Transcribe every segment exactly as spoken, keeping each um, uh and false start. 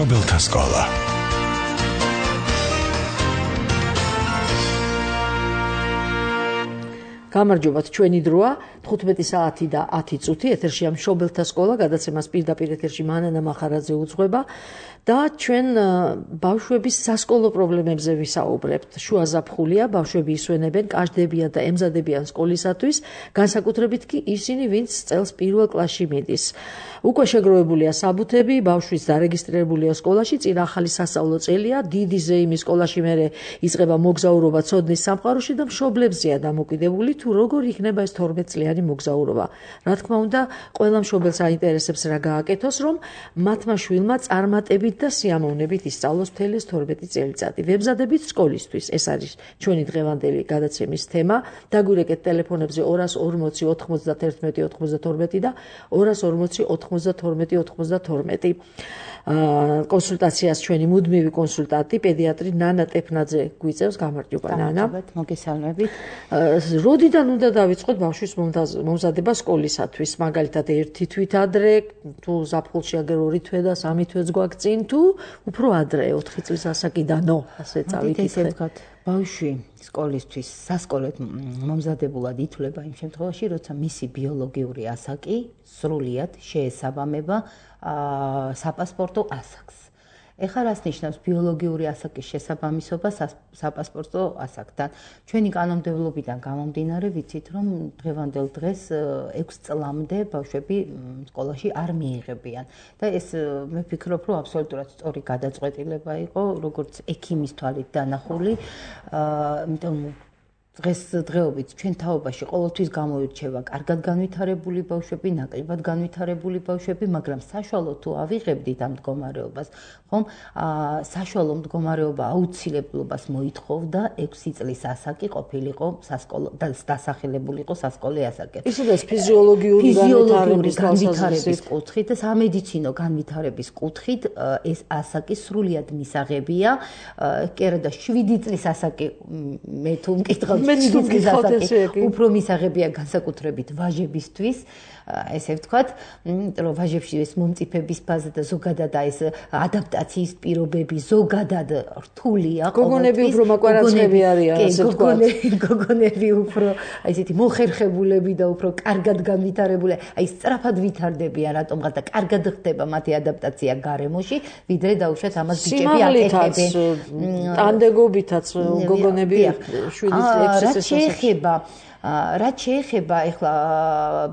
მშობელთა სკოლა. გამარჯობათ, ჩვენი დროა თხუთმეტი საათი და ათი წუთი ეთერშია მშობელთა სკოლა, გადაცემას პირდაპირ ეთერში მანანა მახარაძე უძღვება და ჩვენ ბავშვების სასკოლო პრობლემებზე ვისაუბრებთ. შუა ზაფხულია, ბავშვები ისვენებენ, კაშდებიან და ემზადებიან სკოლისათვის, განსაკუთრებით კი ისინი, ვინც წელს პირველ კლასში მიდის. უკვე შეგროვებულია საბუთები, ბავშვის დარეგისტრირებულია სკოლაში, წინ ახალი სასწავლო წელია, დიდი ზეიმი სკოლაში მერე იწყება მოგზაურობა ცოდნის სამყაროში და მშობლებზეა დამოკიდებული თუ როგორ იქნება ეს თორმეტ წლიანი მოგზაურობა. რა თქმა უნდა, ყველა მშობელს აინტერესებს რა გააკეთოს, რომ მათმა შვილმა წარმატებით და სიამოვნებით ისწავლოს მთელი თორმეტი წელიწადი. ვემზადებით სკოლისთვის. ეს არის ჩვენი დღევანდელი გადაცემის თემა. დაგვირეკეთ ტელეფონებზე ორას ორმოცი ოთხმოცდათერთმეტი ოთხმოცდათორმეტი და ორას ორმოცი ოთხმოცდათორმეტი ოთხმოცდათორმეტი. კონსულტაციას ჩვენი მუდმივი კონსულტანტი, პედიატრი ნანა ტეფნაძე გვიწევს. გამარჯობა ნანა. მოგესალმებით. როდიდან უნდა დავიწყოთ ბავშვის მომზადება სკოლისათვის? მაგალითად, ერთი თვით ადრე, თუ ზაფხულში აგერ ორი თვე და სამი თვეც გვაქვს წინ, თუ უფრო ადრე, ოთხი წლის ასაკიდანო, ასე წავიკითხეთ. ბავშვი სკოლისთვის სასკოლოდ მომზადებულად ითვლება იმ შემთხვევაში, როცა მისი ბიოლოგიური ასაკი სრულიად შეესაბამება საპასპორტო ასაკს. ეხლა რას ნიშნავს ბიოლოგიური ასაკის შესაბამისობა საპასპორტო ასაკთან? ჩვენი კანონმდებლობიდან გამომდინარე ვიცით, რომ დღევანდელ დღეს ექვს წლამდე ბავშვები სკოლაში არ მიიღებიან. და ეს მე ვფიქრობ, რომ აბსოლუტურად სწორი გადაწყვეტილება იყო, როგორც ექიმის თვალით დანახული, იმიტომ დღეს დღეობით ჩვენ თაობაში ყოველთვის გამოირჩევა კარგად განვითარებული ბავშვები, ნაკლებად განვითარებული ბავშვები, მაგრამ საშუალო თუ ავიღებდით ამ მდგომარეობას, ხომ, საშუალო მდგომარეობა აუცილებლობას მოითხოვდა ექვსი წლის ασაკი ყოფილიყო სასკოლო და დასახელებულიყო სასკოლე ასაკი. ისედაც ფიზიოლოგიური განვითარების კუთხით და სამედიცინო განვითარების კუთხით ეს ასაკი სრულიად მისაღებია. კი არა და შვიდი წლის ასაკი მე თუ მკითხავ უფრო მისაღებია განსაკუთრებით ვაჟებისთვის, ესე ვთქვათ, იმიტომ რომ ვაჟებში ეს მომწიფების ფაზა და ზოგადად ეს ადაპტაციის პირობები ზოგადად რთულია. გოგონები უფრო მაკვარაცხები არიან, ასე ვთქვათ. გოგონები უფრო აი ესეთი მოხერხებულები და უფრო კარგად განვითარებული, აი სწრაფად ვითარდებიან რატომღაც და კარგად ხდება მათი ადაპტაცია გარემოში, ვიდრე დაუშვათ ამას ბიჭები აკეთებენ. ტანდეგობითაც გოგონები შვიდი წლის რაც შეეხება რაც შეეხება ეხლა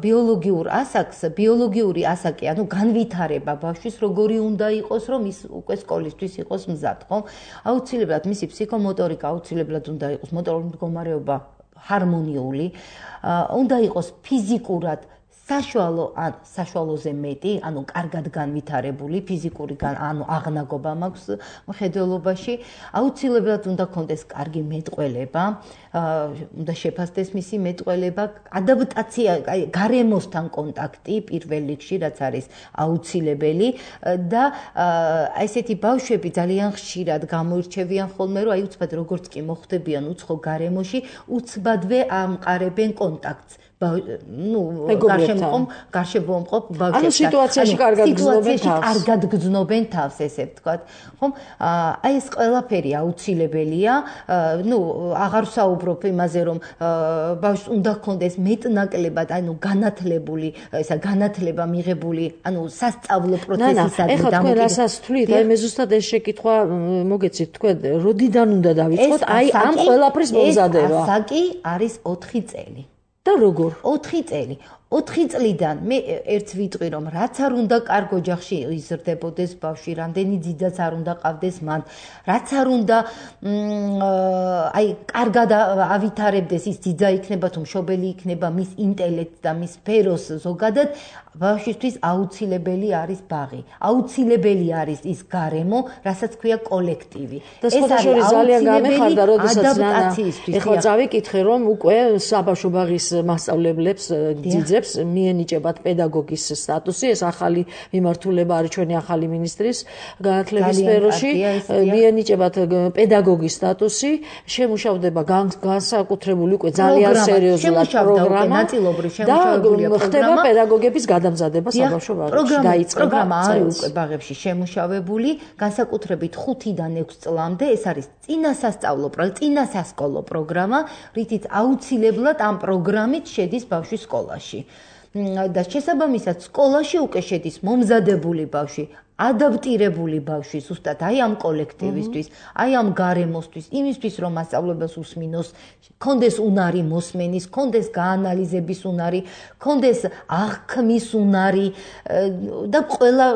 ბიოლოგიურ ასაკს, ბიოლოგიური ასაკი, ანუ განვითარება ბავშვის როგორი უნდა იყოს, რომ ის უკვე სკოლისთვის იყოს მზად, ხო? აუცილებლად მისი ფსიქომოტორიკა აუცილებლად უნდა იყოს, მოტორული მდგომარეობა ჰარმონიული, უნდა იყოს ფიზიკურად საშუალო ან საშუალოზე მეტი, ანუ კარგად განვითარებული, ფიზიკური ანუ აღნაგობა მაქვს მხედველობაში, აუცილებლად უნდა კონდეს კარგი მეტყველება, უნდა შეფასდეს მისი მეტყველება, ადაპტაცია, გარემოსთან კონტაქტი პირველ რიგში, რაც არის აუცილებელი და ესეთი ბავშვები ძალიან ხშირად გამოირჩევიან ხოლმე, რომ აი უცბად როგორც კი მოხვდებიან უცხო გარემოში, უცბადვე ამყარებენ კონტაქტს. ну, გარშემო გარშემოყობ ბავშვებს. ანუ სიტუაციაში კარგად გრძნობენ თავს. კარგად გრძნობენ თავს, ესე ვთქვათ. ხომ? აი ეს ყველაფერი აუცილებელია. ну, აღარ ვსაუბრობ იმაზე, რომ ბავშვს უნდა ჰქონდეს მეტნაკლებად, ანუ განათლებული, ესა განათლება მიღებული, ანუ სასწავლო პროცესისადმი დამოკიდებული. ეხლა თქვენ რასაც თვლით, აი მე ზუსტად ეს შეკითხვა მოგეცით, თქვენ როდიდან უნდა დავიწყოთ აი ამ ყველაფრის მომზადება? ეს ასაკი არის ოთხი წელი. და როგორ? ოთხი წელი. ოთხი წლიდან მე ერთს ვიტყვი, რომ რაც არ უნდა კარგ ოჯახში იზრდებოდეს ბავშვი, რამდენი ძიდაც არ უნდა ყავდეს მან, რაც არ უნდა აი კარგად ავითარებდეს ის ძიძა იქნება თუ მშობელი იქნება მის ინტელექტს და მის სფეროს ზოგადად, ბავშვისთვის აუცილებელი არის ბაღი. აუცილებელი არის ის გარემო, რასაც ქვია კოლექტივი. ეს არის ძალიან გამეხარდა, როდესაც ნანა ეხლა წავიკითხე, რომ უკვე საბავშვო ბაღის მასწავლებლებს ძიძებს მცირეებს მიენიჭებათ პედაგოგის სტატუსი, ეს ახალი მიმართულება არის ჩვენი ახალი მინისტრის განათლების სფეროში, მიენიჭებათ პედაგოგის სტატუსი, შემუშავდება განსაკუთრებული უკვე ძალიან სერიოზულად პროგრამა და ხდება პედაგოგების გადამზადება საბავშვო ბაღებში. დაიწყება პროგრამა არის უკვე ბაღებში შემუშავებული, განსაკუთრებით ხუთიდან ექვს წლამდე, ეს არის წინასასწავლო, წინასასკოლო პროგრამა, რითიც აუცილებლად ამ პროგრამით შედის ბავშვი სკოლაში. და შესაბამისად სკოლაში უკვე შედის მომზადებული ბავშვი, ადაპტირებული ბავშვი, ზუსტად აი ამ კოლექტივისთვის, აი ამ გარემოსთვის, იმისთვის რომ მასწავლებელს უსმინოს, კონდეს უნარი მოსმენის, კონდეს გაანალიზების უნარი, კონდეს აღქმის უნარი და ყველა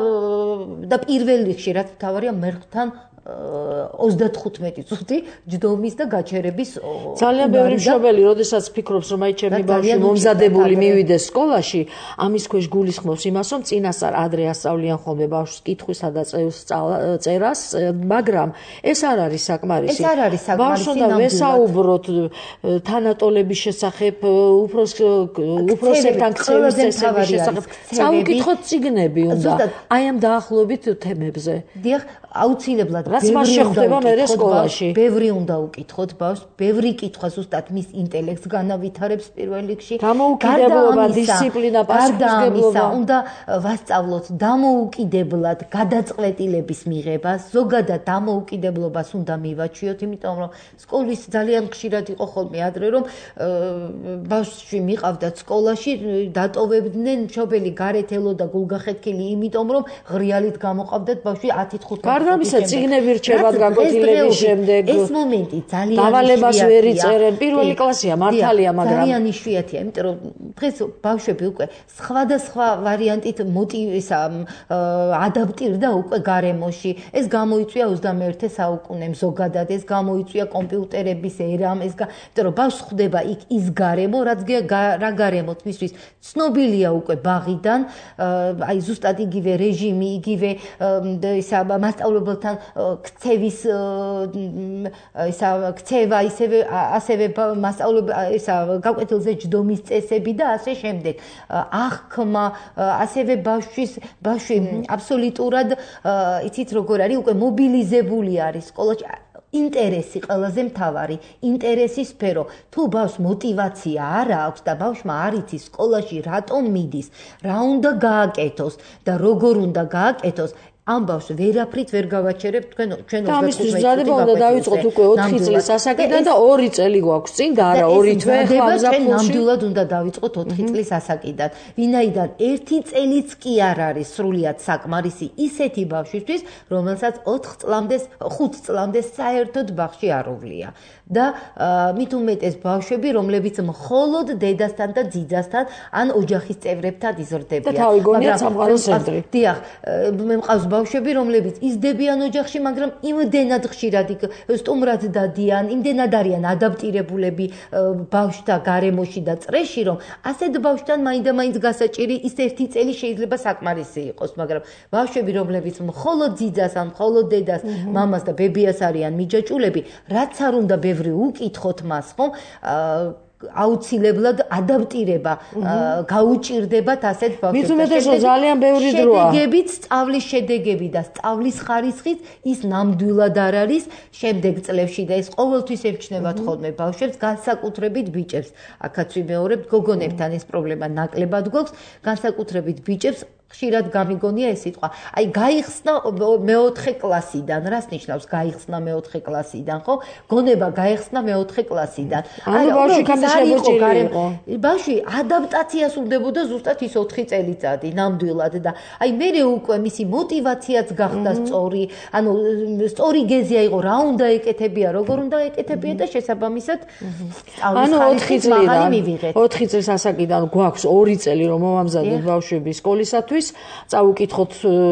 და პირველ რიგში რაც მთავარია მერხთან ოცდათხუთმეტი წუთი ჯდომის და გაჩერების ძალიან ბევრი მშობელი, როდესაც ფიქრობს, რომ აი ჩემი ბავშვი მომზადებული მივიდეს სკოლაში, ამის ქვეშ გულისხმობს იმას, რომ წინასწარ ადრე ასწავლიან ხოლმე ბავშვს კითხვისა და წერას, მაგრამ ეს არ არის საკმარისი. ეს არ არის საკმარისი. ბავშვს უნდა ვესაუბროთ თანატოლების შესახებ, უფროსებთან ქცევის წესების შესახებ, წაუკითხოთ წიგნები უნდა აი ამ დაახლოებით თემებზე. დიახ, აუცილებლად რაც მას შეხვდება მე სკოლაში. ბევრი უნდა უკითხოთ ბავშვს, ბევრი კითხვა ზუსტად მის ინტელექტს განავითარებს პირველ რიგში. დამოუკიდებლობა, დისციპლინა, პასუხისმგებლობა. უნდა ვასწავლოთ დამოუკიდებლად გადაწყვეტილების მიღება, ზოგადად დამოუკიდებლობას უნდა მივაჩვიოთ, იმიტომ რომ სკოლის ძალიან ხშირად იყო ხოლმე ადრე, რომ ბავშვი მიყავდათ სკოლაში, დატოვებდნენ, მშობელი გარეთ ელოდა გულგახეთქილი, იმიტომ რომ ღრიალით გამოყავდათ ბავშვი ათი თხუთმეტი გარდამისა წიგნები რჩებათ გაგოთილების შემდეგ. ეს მომენტი ძალიან დავალებას ვერ იწერენ. პირველი კლასია მართალია, მაგრამ ძალიან იშვიათია, იმიტომ რომ დღეს ბავშვები უკვე სხვადასხვა ვარიანტით მოტივისა ადაპტირდა უკვე გარემოში. ეს გამოიწვია ოცდამეერთე საუკუნემ ზოგადად, ეს გამოიწვია კომპიუტერების ერამ, ეს იმიტომ რომ ბავშვს ხვდება იქ ის გარემო, რაც რა გარემოთ მისთვის ცნობილია უკვე ბაღიდან, აი ზუსტად იგივე რეჟიმი, იგივე ისა მასწავლებელთან ქცევის ისა ქცევა, ისევე ასევე მასწავლებლ ისა გაკვეთილზე ჯდომის წესები და ასე შემდეგ. აღქმა, ასევე ბავშვის ბავშვი აბსოლუტურად იცით როგორ არის, უკვე მობილიზებული არის სკოლაში. ინტერესი ყველაზე მთავარი, ინტერესის სფერო. თუ ბავშვს მოტივაცია არ აქვს და ბავშვმა არ იცის სკოლაში რატომ მიდის, რა უნდა გააკეთოს და როგორ უნდა გააკეთოს, ამ ბავშვს ვერაფრით ვერ გავაჩერებთ თქვენ ჩვენ ოცდათხუთმეტი წუთი დადება უნდა დავიწყოთ უკვე ოთხი წლის ასაკიდან და ორი წელი გვაქვს წინ და არა ორი თვე ხმამზაფხულში. ჩვენ ნამდვილად უნდა დავიწყოთ ოთხი წლის ასაკიდან. ვინაიდან ერთი წელიც კი არ არის სრულიად საკმარისი ისეთი ბავშვისთვის, რომელსაც ოთხ წლამდე, ხუთ წლამდე საერთოდ ბაღში არ უვლია. და მით უმეტეს ბავშვები, რომლებიც მხოლოდ დედასთან და ძიძასთან ან ოჯახის წევრებთან იზრდებიან. და თავი გონიათ სამყაროს ცენტრი. დიახ, მე მყავს ბავშვები, რომლებიც იზრდებიან ოჯახში, მაგრამ იმდენად ხშირად სტუმრად დადიან, იმდენად არიან ადაპტირებულები ბავშვთა გარემოში და წრეში, რომ ასეთ ბავშვთან მაინდა-მაინც გასაჭირი ის ერთი წელი შეიძლება საკმარისი იყოს, მაგრამ ბავშვები, რომლებიც მხოლოდ ძიძას ან მხოლოდ დედას, მამას და ბებიას არიან მიჯაჭულები, რაც არ უნდა ბევრი უკითხოთ მას, ხომ? აუცილებლად ადაპტირება გაუჭირდებათ ასეთ ბავშვებს. მით უმეტეს რომ ძალიან ბევრი დროა. შედეგებით, სწავლის შედეგები და სწავლის ხარისხით ის ნამდვილად არ არის შემდეგ წლებში და ეს ყოველთვის ემჩნევათ ხოლმე ბავშვებს, განსაკუთრებით ბიჭებს. აქაც ვიმეორებთ, გოგონებთან ეს პრობლემა ნაკლებად გვაქვს, განსაკუთრებით ბიჭებს. ხშირად გამიგონია ეს სიტყვა. აი გაიხსნა მეოთხე კლასიდან. რას ნიშნავს გაიხსნა მეოთხე კლასიდან, ხო? გონება გაიხსნა მეოთხე კლასიდან. ანუ ბავშვი გამიშებოჭილი იყო. ბავშვი ადაპტაციას უნდებოდა ზუსტად ის ოთხი წელიწადი ნამდვილად და აი მე უკვე მისი მოტივაციაც გახდა სწორი, ანუ სწორი გეზია იყო, რა უნდა ეკეთებია, როგორ უნდა ეკეთებია და შესაბამისად ანუ ოთხი წლიდან ოთხი წლის ასაკიდან გვაქვს ორი წელი რომ მოვამზადოთ ბავშვები სკოლისათვის. იმისათვის წავუკითხოთ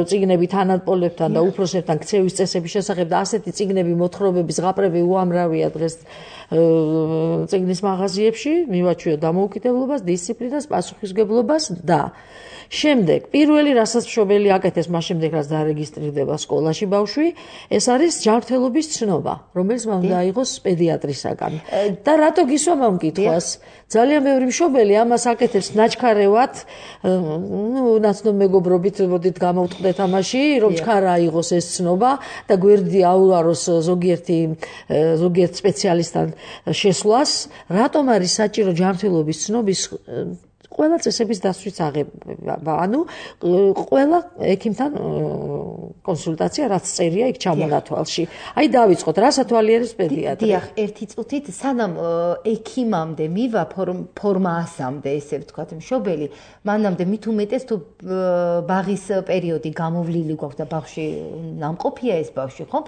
წიგნები თანატოლებთან და უფროსებთან ქცევის წესების შესახებ და ასეთი წიგნები მოთხრობები ზღაპრები უამრავია დღეს წიგნის მაღაზიებში მივაჩვიოთ დამოუკიდებლობას, დისციპლინას, პასუხისმგებლობას და შემდეგ პირველი რასაც მშობელი აკეთებს მას შემდეგ რაც დარეგისტრირდება სკოლაში ბავშვი ეს არის ჯანმრთელობის ცნობა რომელიც მან უნდა აიღოს პედიატრისაგან და რატო გისვა მომკითხვას ძალიან ბევრი მშობელი ამას აკეთებს ნაჩქარევად ნუ ნაცნობ მეგობრობით მოდით გამოვტყდეთ ამაში რომ ჩქარა აიღოს ეს ცნობა და გვერდი აუაროს ზოგიერთი ზოგიერთ სპეციალისტთან შესვლას რატომ არის საჭირო ჯანმრთელობის ცნობის ყველა წესების დასვრის აღება, ანუ ყველა ექიმთან კონსულტაცია რაც წერია იქ ჩამონათვალში. აი დავიწყოთ, რას ათვალიერებს პედიატრი? დიახ, ერთი წუთით სანამ ექიმამდე მივა ფორმა ასამდე, ესე ვთქვათ, მშობელი, მანამდე მით უმეტეს თუ ბაღის პერიოდი გამოვლილი გვაქვს და ბავშვი ნამყოფია ეს ბავშვი, ხომ?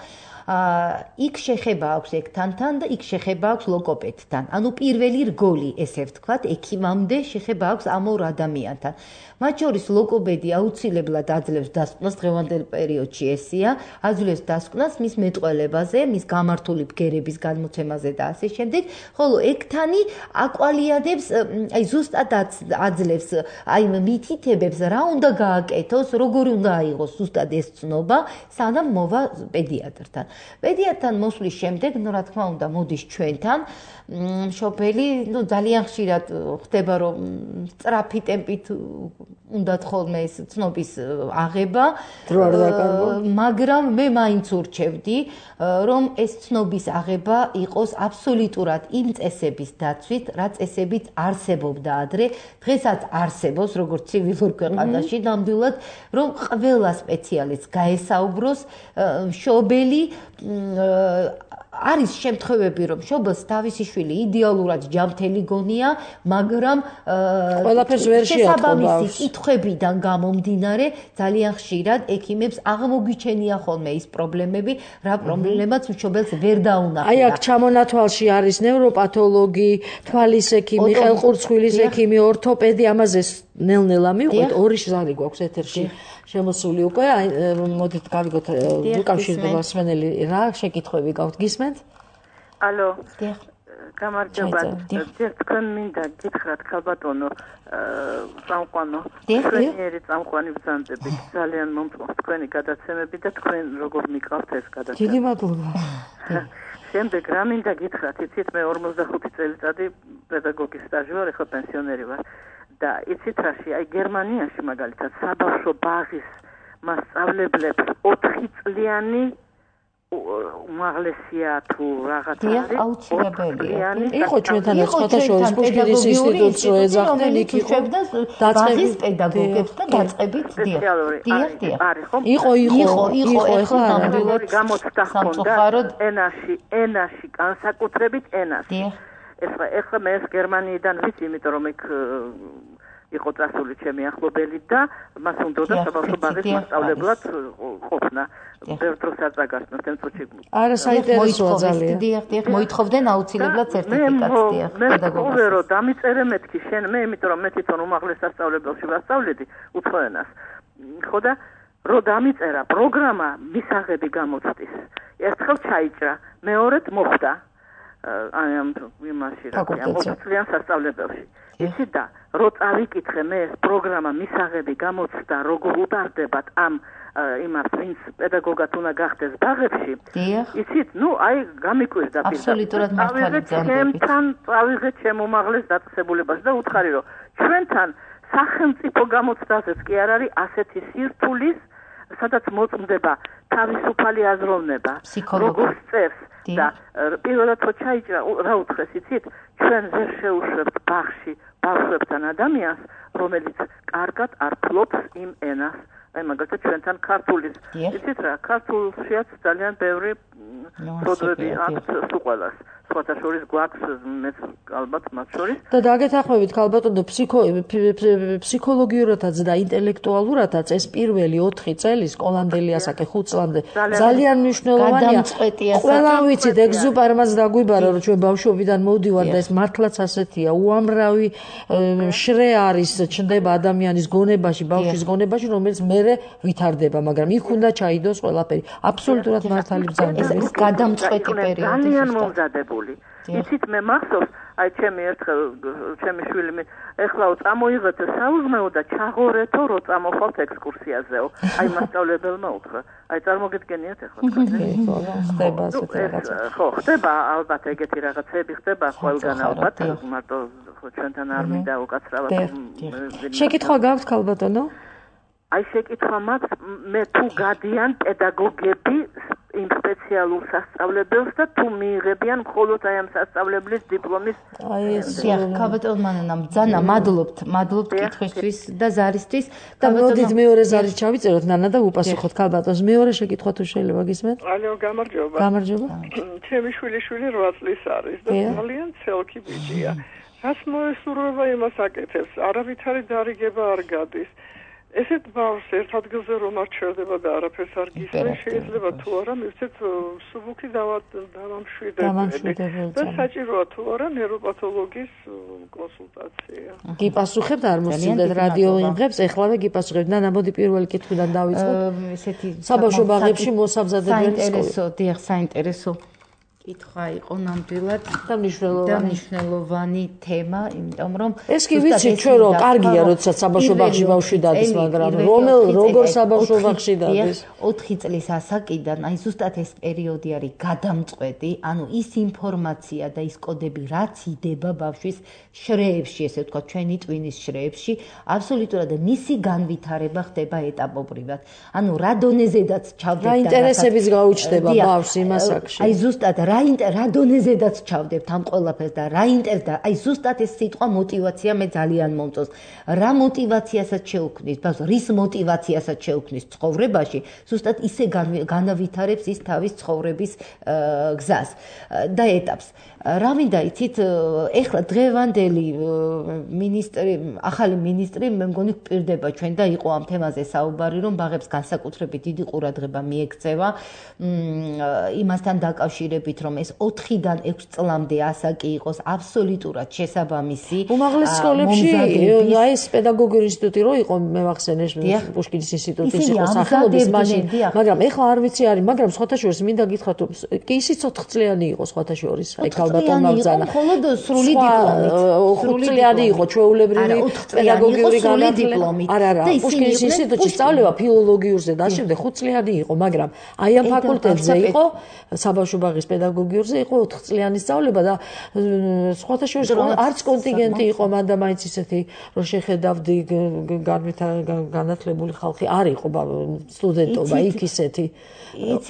იქ შეხება აქვს ექთანთან და იქ შეხება აქვს ლოგოპედთან. ანუ პირველი რგოლი, ესე ვთქვათ, ექიმამდე შეხება აქვს ამ ორ ადამიანთან. მათ შორის ლოგოპედი აუცილებლად აძლევს დასკვნას დღევანდელ პერიოდში ესია, აძლევს დასკვნას მის მეტყველებაზე, მის გამართული ბგერების განმოცემაზე და ასე შემდეგ, ხოლო ექთანი აკვალიადებს, აი ზუსტად აძლევს აი მითითებებს, რა უნდა გააკეთოს, როგორი უნდა აიღოს ზუსტად ეს ცნობა, სანამ მოვა პედიატრთან. პედიატრთან მოსვლის შემდეგ, ну, რა თქმა უნდა, მოდის ჩვენთან, მშობელი, ну, ძალიან ხშირად ხდება, რომ სწრაფი ტემპით უნდა ხოლმე ეს ცნობის აღება, მაგრამ მე მაინც ურჩევდი, რომ ეს ცნობის აღება იყოს აბსოლუტურად იმ წესების დაცვით, რა წესებით არსებობდა ადრე, დღესაც არსებობს, როგორც ცივილურ ქვეყანაში, ნამდვილად, რომ ყველა სპეციალისტს გაესაუბროს მშობელი არის შემთხვევები, რომ მშობელს თავისი შვილი იდეალურად ჯანმრთელი გონია, მაგრამ ყველაფერს ვერ შეატყობს. კითხვებიდან გამომდინარე, ძალიან ხშირად ექიმებს აღმოგიჩენია ხოლმე ის პრობლემები, რა პრობლემაც მშობელს ვერ დაუნახება. აი აქ ჩამონათვალში არის ნევროპათოლოგი, თვალის ექიმი, ხელყურცხვილის ექიმი, ორთოპედი, ამაზე ნელ-ნელა მივყვეთ, ორი ჟარი გვაქვს ეთერში. შემოსული უკვე, აი მოდით გავიგოთ უკავშირდება მსმენელი რა შეკითხვები გაქვთ გისმენთ? ალო. გამარჯობა. ჯერ თქვენ მინდა გითხრათ ქალბატონო, წამყვანო, ჩვენი წამყვანი ბრძანდები ძალიან მომწონს თქვენი გადაცემები და თქვენ როგორ მიყავთ ეს გადაცემა. დიდი მადლობა. შემდეგ რა მინდა გითხრათ, იცით მე ორმოცდახუთი წელიწადი პედაგოგის სტაჟი ვარ, ახლა პენსიონერი ვარ. და იცით რაში, აი გერმანიაში მაგალითად საბავშვო ბაღის მასწავლებლებს ოთხი წლიანი უმაღლესია თუ რაღაც არის აუცილებელია. იყო ჩვენთან სხვათა შორის პუშკინის ინსტიტუტს რო ეძახდნენ იქ იყო ბაღის პედაგოგებს და დაწყებით დიახ. დიახ, დიახ. იყო, იყო, იყო, ახლა ნამდვილად გამოცდა ჰქონდა ენაში, ენაში, განსაკუთრებით ენაში. დიახ. ეხლა ეხლა მე ეს გერმანიიდან ვიცი, იმიტომ რომ იქ იყო წასული ჩემი ახლობელი და მას უნდოდა საბავშვო ბაღის მასწავლებლად ყოფნა. ბევრ დროს არ წაგასწნათ ამ წუთში. არა, საინტერესოა ძალიან. დიახ, დიახ, მოითხოვდნენ აუცილებლად სერტიფიკატს, დიახ, პედაგოგს. მე რო დამიწერე მეთქი შენ, მე იმიტომ რომ მე თვითონ უმაღლეს სასწავლებელში ვასწავლედი უცხოენას. ხო და რო დამიწერა პროგრამა მისაღები გამოცდის. ერთხელ ჩაიჭრა, მეორედ მოხდა. აი ამ იმაში რა მოწლიან სასწავლებელში. იცით და რო წავიკითხე მე ეს პროგრამა მისაღები გამოცდა როგორ უტარდებათ ამ იმას ვინც პედაგოგად უნდა გახდეს ბაღებში. იცით, ნუ აი გამიკვირდა პირდაპირ. აბსოლუტურად მართალი ძანები. ჩემთან წავიღე ჩემ უმაღლეს დაწესებულებას და უთხარი რომ ჩვენთან სახელმწიფო გამოცდაზეც კი არ არის ასეთი სირთულის სადაც მოწმდება თავისუფალი აზროვნება, როგორც წერს და პირველად რო ჩაიჭრა, რა უთხრეს, იცით, ჩვენ ვერ შეუშვებთ ბაღში ბავშვებთან ადამიანს, რომელიც კარგად არ ფლობს იმ ენას. აი მაგალითად ჩვენთან ქართულის. იცით რა, ქართულშიაც ძალიან ბევრი პროდუქტი აქვს სულ ყველას. სხვათა შორის გვაქვს მეც ალბათ მათ შორის. და დაგეთანხმებით ქალბატონო ფსიქოლოგიურადაც და ინტელექტუალურადაც ეს პირველი ოთხი წელი სკოლამდელი ასაკი ხუთ წლამდე ძალიან მნიშვნელოვანია. ყველა ვიცით ეგზუპერმას დაგვიბარა რომ ჩვენ ბავშვობიდან მოვდივარ და ეს მართლაც ასეთია. უამრავი შრე არის ჩნდება ადამიანის გონებაში, ბავშვის გონებაში, რომელიც მერე ვითარდება, მაგრამ იქ უნდა ჩაიდოს ყველაფერი. აბსოლუტურად მართალი ბრძანება. ეს გადამწყვეტი პერიოდი ძალიან მომზადებული. იცით მე მახსოვს, აი ჩემი ერთხელ ჩემი შვილი მე ეხლა წამოიღეთ საუზმეო და ჩაღორეთო რო წამოხვალთ ექსკურსიაზეო. აი მასწავლებელმა უთხრა. აი წარმოგიდგენიათ ეხლა თქვენ? ხდება ასეთი რაღაცა. ხო, ხდება ალბათ ეგეთი რაღაცები ხდება ყველგან ალბათ, მარტო ჩვენთან არ მინდა უკაცრავად. შეკითხვა გაქვთ ქალბატონო? აი შეკითხვა მაქვს, მე თუ გადიან პედაგოგები იმ სპეციალურ სასწავლებელს და თუ მიიღებიან მხოლოდ აი ამ სასწავლებლის დიპლომის. აი ეს ქალბატონო მანანა ბძანა, მადლობთ, მადლობთ კითხვისთვის და ზარისთვის. და მოდით მეორე ზარი ჩავიწეროთ ნანა და უპასუხოთ ქალბატონს. მეორე შეკითხვა თუ შეიძლება გისმენთ? ალო, გამარჯობა. გამარჯობა. ჩემი შვილი შვილი რვა წლის არის და ძალიან ცელკი ბიჭია. რას მოესურვება იმას აკეთებს, არავითარი დარიგება არ გადის. ესეთ ბავშვს ერთ ადგილზე რომ არჩევდება და არაფერს არ გისმენს, შეიძლება თუ არა მივცეთ სუბუქი დავამშვიდებელი და საჭიროა თუ არა ნეიროპათოლოგის კონსულტაცია. გიპასუხებთ არ მოსცილდეთ რადიო იმღებს, ეხლავე გიპასუხებთ. ნანა, მოდი პირველი კითხვიდან დავიწყოთ. ესეთი საბავშვო ბაღებში მოსამზადებელი სკოლა. საინტერესო, დიახ, საინტერესო კითხვა იყო ნამდვილად და მნიშვნელოვანი და მნიშვნელოვანი თემა, იმიტომ რომ ეს კი ვიცი ჩვენ რომ კარგია როდესაც საბავშვო ბაღში ბავშვი დადის, მაგრამ რომელ როგორ საბავშვო ბაღში დადის? ოთხი წლის ასაკიდან, აი ზუსტად ეს პერიოდი არის გადამწყვეტი, ანუ ის ინფორმაცია და ის კოდები, რაც იდება ბავშვის შრეებში, ესე ვთქვათ, ჩვენი ტვინის შრეებში, აბსოლუტურად მისი განვითარება ხდება ეტაპობრივად. ანუ რა დონეზედაც ჩავდებთ და ინტერესებიც გაუჩნდება ბავშვს იმ ასაკში. აი ზუსტად რა რა დონეზედაც ჩავდებთ ამ ყველაფერს და რა ინტერეს და აი ზუსტად ეს სიტყვა мотиваცია მე ძალიან მომწონს. რა мотиваციასაც შეუქმნის, ბავშვს რის мотиваციასაც შეუქმნის ცხოვრებაში, ზუსტად ისე განავითარებს ის თავის ცხოვრების გზას და ეტაპს. რა მინდა იცით, ეხლა დღევანდელი მინისტრი, ახალი მინისტრი მე მგონი გვპირდება ჩვენ და იყო ამ თემაზე საუბარი, რომ ბაღებს განსაკუთრებით დიდი ყურადღება მიექცევა იმასთან დაკავშირებით, რომ ეს ოთხიდან ექვს წლამდე ასაკი იყოს აბსოლუტურად შესაბამისი. უმაღლეს სკოლებში აი ეს პედაგოგიური ინსტიტუტი რო იყო, მე ვახსენე პუშკინის ინსტიტუტის იყო სახელობის მაშინ, მაგრამ ეხლა არ ვიცი არის, მაგრამ სხვათა შორის მინდა გითხრათ, კი ისიც ოთხ წლიანი იყო სხვათა შორის, აი ქალბატონმა ბრძანა. მხოლოდ სრული დიპლომით. ხუთ წლიანი იყო ჩვეულებრივი პედაგოგიური განათლება. არა, არა, პუშკინის ინსტიტუტში სწავლება ფილოლოგიურზე და შემდეგ ხუთ წლიანი იყო, მაგრამ აი ამ ფაკულტეტზე იყო საბავშვო ბაღის პედაგოგიურზე იყო ოთხ წლიანი სწავლება და სხვათა შორის არც კონტინგენტი იყო, მანდა მაინც ისეთი რომ შეხედავდი განათლებული ხალხი არ იყო სტუდენტობა იქ ისეთი.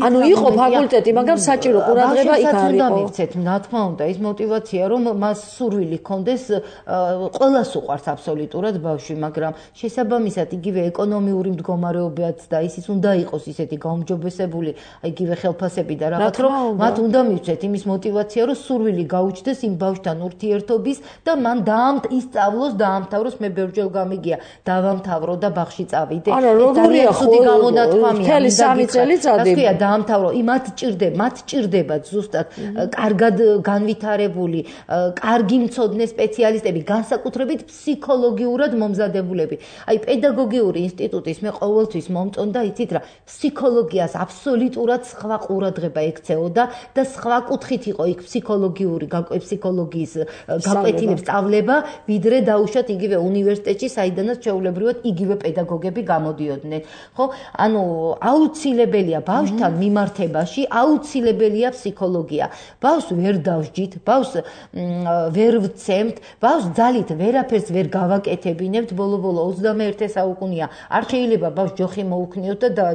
ანუ იყო ფაკულტეტი, მაგრამ საჭირო ყურადღება იქ არ იყო. მივცეთ, რა თქმა უნდა, ის мотиваცია, რომ მას სურვილი ჰქონდეს, ყველას უყვარს აბსოლუტურად ბავშვი, მაგრამ შესაბამისად იგივე ეკონომიური მდგომარეობაც და ისიც უნდა იყოს ისეთი გაუმჯობესებული, იგივე ხელფასები და რაღაც, რომ მათ უნდა მივცეთ იმის мотиваცია, რომ სურვილი გაუჩნდეს იმ ბავშვთან ურთიერთობის და მან ისწავლოს, დაამთავროს, მე ბევრჯერ გამიგია, დავამთავრო და ბაღში წავიდე. არა, როგორია ხო მთელი სამი წელიწადი რა დაამთავრო, იმათ ჭირდება, მათ ჭირდებათ ზუსტად კარგად განვითარებული, კარგი მცოდნე სპეციალისტები, განსაკუთრებით ფსიქოლოგიურად მომზადებულები. აი პედაგოგიური ინსტიტუტის მე ყოველთვის მომწონდა, იცით რა, ფსიქოლოგიას აბსოლუტურად სხვა ყურადღება ექცეოდა და სხვა კუთხით იყო იქ ფსიქოლოგიური, ფსიქოლოგიის გაკვეთილების სწავლება, ვიდრე დაუშვათ იგივე უნივერსიტეტში, საიდანაც ჩვეულებრივად იგივე პედაგოგები გამოდიოდნენ. ხო? ანუ აუცილებელია ბავშვთან მიმართებაში, აუცილებელია ფსიქოლოგია. ბავშვს ვერ დავსჯით, ბავშვს ვერ ვცემთ, ბავშვს ძალით ვერაფერს ვერ გავაკეთებინებთ, ბოლო-ბოლო ოცდამეერთე საუკუნეა. არ შეიძლება ბავშვს ჯოხი მოუქნიოთ და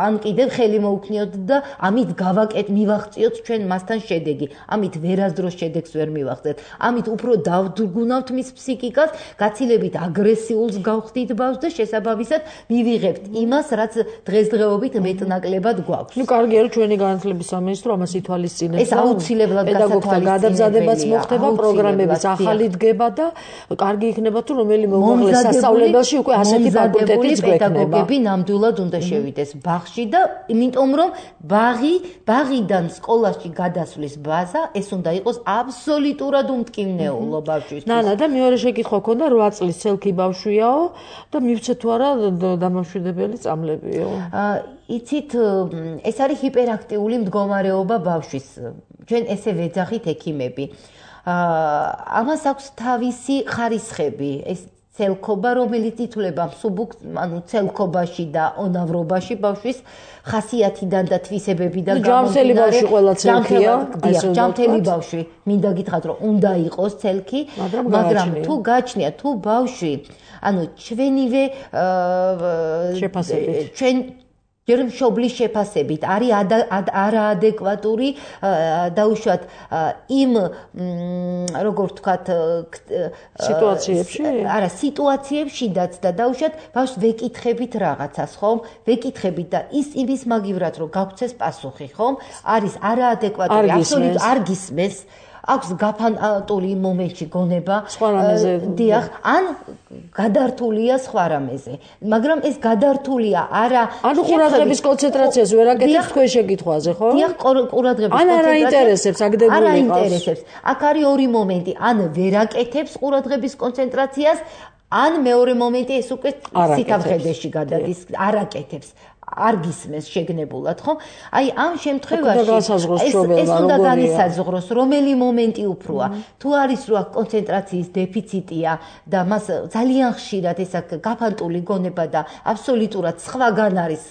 ან კიდევ ხელი მოუქნიოთ და ამით გავაკეთ, მივაღწიოთ ჩვენ მასთან შედეგი. ამით ვერასდროს შედეგს ვერ მივახცეთ. ამით უფრო დავდრგუნავთ მის ფსიქიკას, გაცილებით აგრესიულს გავხდით ბავშვს და შესაბამისად მივიღებთ იმას, რაც დღესდღეობით მეტნაკლებად გვაქვს. ნუ კარგია რომ ჩვენი განათლების სამინისტრო ამას ითვალისწინებს. ეს აუცილებლად პედაგოგთა გადამზადებაც მოხდება, პროგრამებიც ახალი დგება და კარგი იქნება თუ რომელიმე უმაღლეს სასწავლებელში უკვე ასეთი ფაკულტეტიც გვექნება. პედაგოგები ნამდვილად უნდა შევიდეს ბაღში და იმიტომ რომ ბაღი, ბაღიდან სკოლაში გადასვლის ბაზა ეს უნდა იყოს აბსოლუტურად უმტკივნეულო ბავშვის. ნანა და მეორე შეკითხვა ქონდა რვა წლის ცელქი ბავშვიაო და მივცე თუ არა დამამშვიდებელი წამლებიო. იცით, ეს არის ჰიპერაქტიული მდგომარეობა ბავშვის. ჩვენ ესე ვეძახით ექიმები. ამას აქვს თავისი ხარისხები. ეს ცელქობა, რომელიც ითვლება მსუბუქ, ანუ ცელქობაში და ონავრობაში ბავშვის ხასიათიდან და თვისებებიდან გამომდინარე. ჯამთელი ბავშვი ყველა ცელქია, ჯამთელი ბავშვი, მინდა გითხრათ, რომ უნდა იყოს ცელქი, მაგრამ თუ გაჩნია, თუ ბავშვი, ანუ ჩვენივე შეფასებით, ჩვენ ჯერ მშობლის შეფასებით არის არაადეკვატური დაუშვათ იმ როგორ ვთქვათ სიტუაციებში არა სიტუაციებშიდაც და დაუშვათ ბავშვს ვეკითხებით რაღაცას ხომ ვეკითხებით და ის იმის მაგივრად რომ გაგვცეს პასუხი ხომ არის არაადეკვატური აბსოლუტურად არ გისმენს აქვს გაფანტული მომენტში გონება დიახ ან გადართულია სხვა რამეზე მაგრამ ეს გადართულია არა ანუ ყურადღების კონცენტრაციას ვერ აკეთებს თქვენ შეკითხვაზე ხო დიახ ყურადღების კონცენტრაციას ან არა ინტერესებს აგდებული არა ინტერესებს აქ არის ორი მომენტი ან ვერ აკეთებს ყურადღების კონცენტრაციას ან მეორე მომენტი ეს უკვე სიტამხედეში გადადის არ აკეთებს არ გისმენს შეგნებულად ხო? აი ამ შემთხვევაში ეს უნდა განისაზღვროს რომელი მომენტი უფროა. თუ არის რომ კონცენტრაციის დეფიციტია და მას ძალიან ხშირად ეს გაფანტული გონება და აბსოლუტურად სხვაგან არის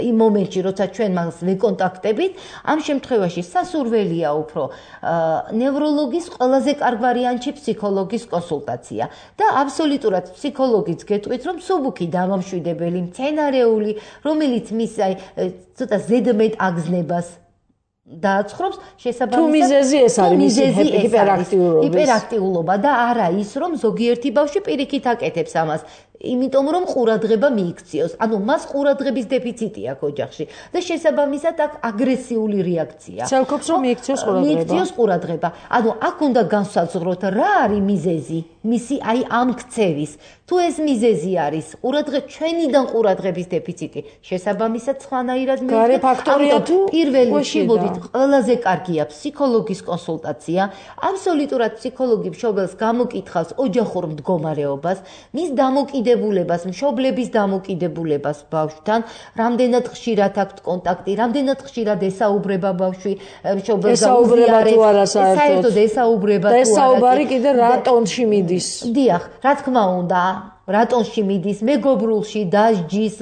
იმ მომენტში, როცა ჩვენ მას ვეკონტაქტებით, ამ შემთხვევაში სასურველია უფრო ნევროლოგის ყველაზე კარგ ვარიანტში ფსიქოლოგის კონსულტაცია და აბსოლუტურად ფსიქოლოგიც გეტყვით რომ მსუბუქი დამამშვიდებელი მცენარეული რომელიც მის აი ცოტა ზედმეტ აგზნებას დააცხრობს შესაბამისად თუ მიზეზი ეს არის მისი ჰიპერაქტიულობა ჰიპერაქტიულობა და არა ის რომ ზოგიერთი ბავშვი პირიქით აკეთებს ამას იმიტომ რომ ყურადღება მიიქციოს ანუ მას ყურადღების დეფიციტი აქვს ოჯახში და შესაბამისად აქ აგრესიული რეაქცია ცელქობს რომ მიიქციოს ყურადღება მიიქციოს ყურადღება ანუ აქ უნდა განსაზღვროთ რა არის მიზეზი მისი აი ამ ქცევის თუ ეს მიზეზი არის ყურადღება ჩვენიდან ყურადღების დეფიციტი შესაბამისად სხვანაირად გარე ფაქტორია თუ პირველ რიგში მოდით ყველაზე კარგია ფსიქოლოგის კონსულტაცია აბსოლუტურად ფსიქოლოგი მშობელს გამოკითხავს ოჯახურ მდგომარეობას მის დამოკიდებულებას მშობლების დამოკიდებულებას ბავშვთან რამდენად ხშირად აქვს კონტაქტი რამდენად ხშირად ესაუბრება ბავშვი მშობელს ესაუბრება თუ არა საერთოდ ესაუბრება თუ არა და ესაუბარი კიდე რა ტონში მიდის დიახ რა თქმა უნდა რატონში მიდის მეგობრულში დასჯის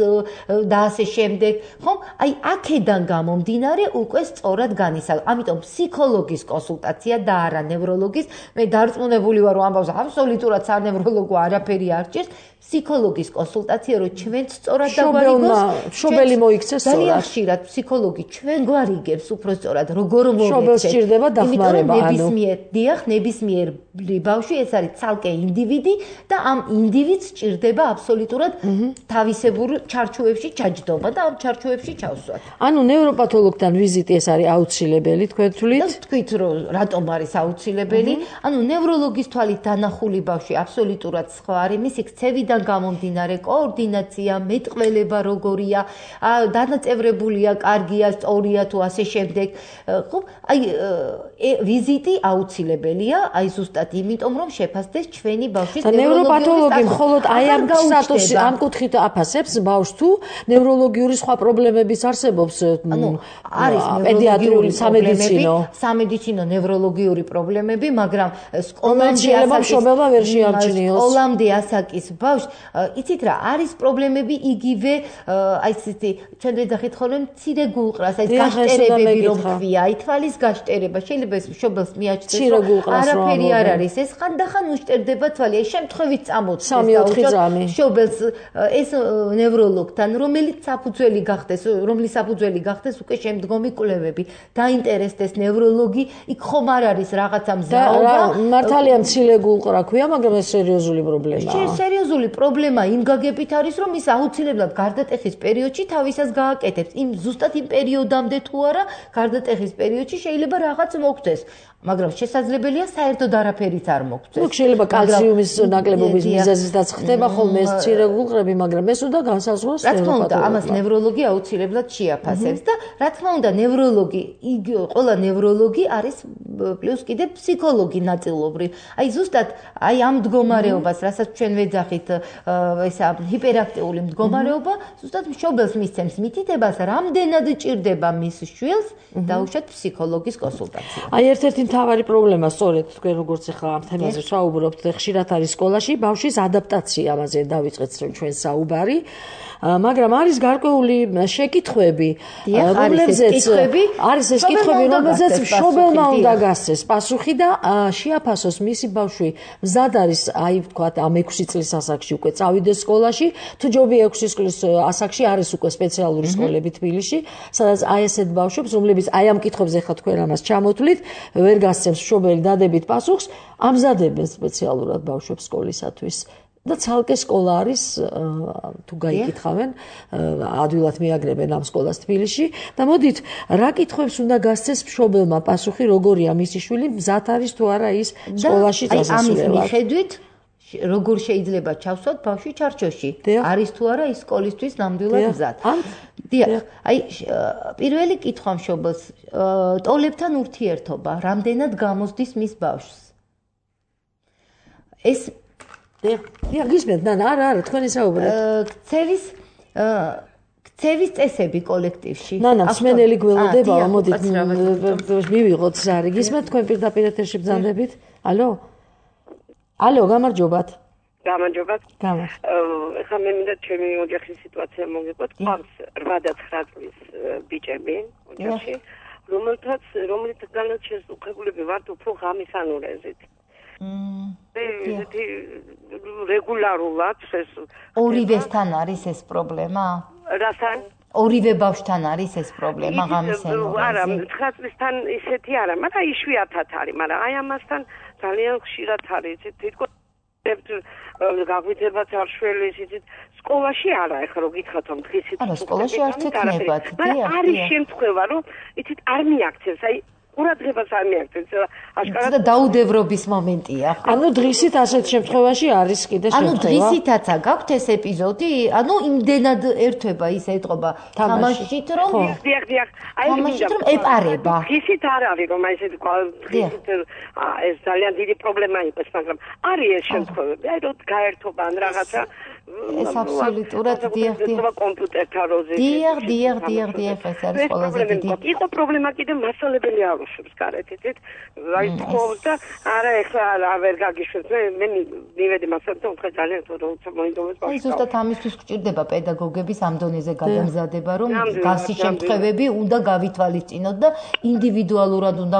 და ასე შემდეგ ხომ აი აქედან გამომდინარე უკვე სწორად განისაზღვრა ამიტომ ფსიქოლოგის კონსულტაცია და არა ნევროლოგის მე დარწმუნებული ვარ რომ ამბავს აბსოლუტურად სანევროლოგო არაფერი არ ჭირს ფსიქოლოგის კონსულტაცია რომ ჩვენ სწორად დაგვარიგოს მშობელი მოიქცეს სწორად ძალიან ხშირად ფსიქოლოგი ჩვენ გვარიგებს უფრო სწორად როგორ მოვიქცეთ მშობელს სჭირდება დახმარება ანუ ნებისმიერ დიახ ნებისმიერ ბავშვი ეს არის ცალკე ინდივიდი და ამ ინდივიდს ჭირდება აბსოლუტურად თავისებურ ჩარჩოებში ჩაჯდომა და ამ ჩარჩოებში ჩავსვათ. ანუ ნევროპათოლოგთან ვიზიტი ეს არის აუცილებელი თქვენ თვლით? თქვით რომ რატომ არის აუცილებელი? ანუ ნევროლოგის თვალით დანახული ბავშვი აბსოლუტურად სხვა არის, მისი ქცევიდან გამომდინარე კოორდინაცია, მეტყველება როგორია, დანაწევრებულია, კარგია, სწორია თუ ასე შემდეგ. ხო, აი ვიზიტი აუცილებელია, აი ზუსტად იმიტომ რომ შეფასდეს ჩვენი ბავშვის ნევროპათოლოგი მხოლოდ აი ამ სტატუსი ამ კუთხით აფასებს ბავშვს თუ ნევროლოგიური სხვა პრობლემებიც არსებობს ანუ არის პედიატრიული სამედიცინო სამედიცინო ნევროლოგიური პრობლემები მაგრამ სკოლამდე მშობელმა ვერ შეამჩნიოს სკოლამდე ასაკის ბავშვს იცით რა არის პრობლემები იგივე აი ესეთი ჩვენ ვეძახით ხოლმე მცირე გულყრას აი გაშტერებები რომ ქვია აი თვალის გაშტერება შეიძლება ეს მშობელს მიაჩნდეს რომ არაფერი არ არის ეს ხანდახან უშტერდება თვალი აი შემთხვევით წამოწეს დაუშვათ შობელს ეს ნევროლოგთან, რომელიც საფუძველი გახდეს, რომლის საფუძველი გახდეს უკვე შემდგომი კვლევები. დაინტერესდეს ნევროლოგი, იქ ხომ არ არის რაღაცა მზაობა. მართალია მცირე გულყრა ქვია, მაგრამ ეს სერიოზული პრობლემაა. სერიოზული პრობლემა იმ გაგებით არის, რომ ის აუცილებლად გარდატეხის პერიოდში თავისას გააკეთებს. იმ ზუსტად იმ პერიოდამდე თუ არა, გარდატეხის პერიოდში შეიძლება რაღაც მოგვცეს. მაგრამ შესაძლებელია საერთოდ არაფერიც არ მოგვცეს. ნუ შეიძლება კალციუმის ნაკლებობის მიზეზითაც ხდება ხოლმე ეს მცირე გულყრები, მაგრამ ეს უნდა განსაზღვროს. რა თქმა უნდა, ამას ნევროლოგი აუცილებლად შეაფასებს და რა თქმა უნდა, ნევროლოგი, ყველა ნევროლოგი არის პლუს კიდე ფსიქოლოგი ნაწილობრივ. აი ზუსტად აი ამ მდგომარეობას, რასაც ჩვენ ვეძახით, ესა ჰიპერაქტიული მდგომარეობა, ზუსტად მშობელს მისცემს მითითებას, რამდენად ჭირდება მის შვილს დაუშვათ ფსიქოლოგის კონსულტაცია. აი ერთ-ერთი მთავარი პრობლემა სწორედ თქვენ როგორც ახლა ამ თემაზე საუბრობთ, ხშირად არის სკოლაში ბავშვის ადაპტაცია, ამაზე დავიწყეთ ჩვენ საუბარი. მაგრამ არის გარკვეული შეკითხვები, რომლებზეც არის ეს კითხვები, რომლებზეც მშობელმა უნდა გასცეს პასუხი და შეაფასოს მისი ბავშვი მზად არის, აი ვთქვათ, ამ ექვსი წლის ასაკში უკვე წავიდეს სკოლაში, თუ ჯობია ექვსი წლის ასაკში არის უკვე სპეციალური სკოლები თბილისში, სადაც აი ესეთ ბავშვებს, რომლებიც აი ამ კითხვებზე ხა თქვენ ამას ჩამოთვლით, ვერ გასცემს მშობელი დადებით პასუხს, ამზადებენ სპეციალურად ბავშვებს სკოლისათვის. და ცალკე სკოლა არის თუ გაიკითხავენ ადვილად მიაგრებენ ამ სკოლას თბილისში და მოდით რა კითხვებს უნდა გასცეს მშობელმა პასუხი როგორია მისი შვილი მზად არის თუ არა ის სკოლაში წასასვლელად. ამის მიხედვით როგორ შეიძლება ჩავსვათ ბავშვი ჩარჩოში არის თუ არა ის სკოლისთვის ნამდვილად მზად. დიახ, აი პირველი კითხვა მშობელს ტოლებთან ურთიერთობა რამდენად გამოსდის მის ბავშვს. ეს დიახ, გისმენთ, ნანა, არა, არა, თქვენი საუბრეთ. ქცევის ქცევის წესები კოლექტივში. ნანა, მსმენელი გველოდება, მოდით მივიღოთ ზარი. გისმენთ თქვენ პირდაპირ ეთერში ბრძანდებით? ალო? ალო, გამარჯობათ. გამარჯობათ. გამარჯობათ. ეხლა მე მინდა ჩემი ოჯახის სიტუაცია მოგიყვეთ. ყავს რვა და ცხრა წლის ბიჭები ოჯახში, რომელთაც რომელთაგანაც შესუძლებელები ვართ უფრო ღამის ანურეზით. რეგულარულად ეს ორივესთან არის ეს პრობლემა? რასთან? ორივე ბავშვთან არის ეს პრობლემა ღამის ენურეზი? არა, ცხრა წლისთან ისეთი არა, მაგრამ იშვიათად არის, მაგრამ აი ამასთან ძალიან ხშირად არის. თითქოს გაგვიძებათ არ შველი ისიც სკოლაში არა, ეხლა რო გითხრათ რომ დღისით არა, სკოლაში არ ცეცნებათ, დიახ. არის შემთხვევა, რომ იცით არ მიაქცევს, აი ყურადღებას არ მიაქცევს, აშკარად და დაუდევრობის მომენტია. ანუ დღისით ასეთ შემთხვევაში არის კიდე შემთხვევა. ანუ დღისითაცა გაქვთ ეს ეპიზოდი, ანუ იმდენად ერთვება ის ეთყობა თამაშით, რომ დიახ, დიახ, აი თამაშით რომ ეპარება. დღისით არ არის რომ აი ესეთ დღისით ეს ძალიან დიდი პრობლემა იყოს, მაგრამ არის ეს შემთხვევები, აი რომ გაერთობა ან რაღაცა ეს აბსოლუტურად დიახ, დიახ. კომპიუტერთან როზე. დიახ, დიახ, დიახ, დიახ, ეს არის ყველაზე დიდი. იყო პრობლემა კიდე მასალებელი აღნიშნავს გარეთ, იცით? აი თხოვს და არა ეხლა არა ვერ გაგიშვებს. მე მივედი მასალთან უთხე ძალიან თორემ მოინდომებს ბავშვს. აი ზუსტად ამისთვის გვჭირდება პედაგოგების ამ დონეზე გადამზადება, რომ გასი შემთხვევები უნდა გავითვალისწინოთ და ინდივიდუალურად უნდა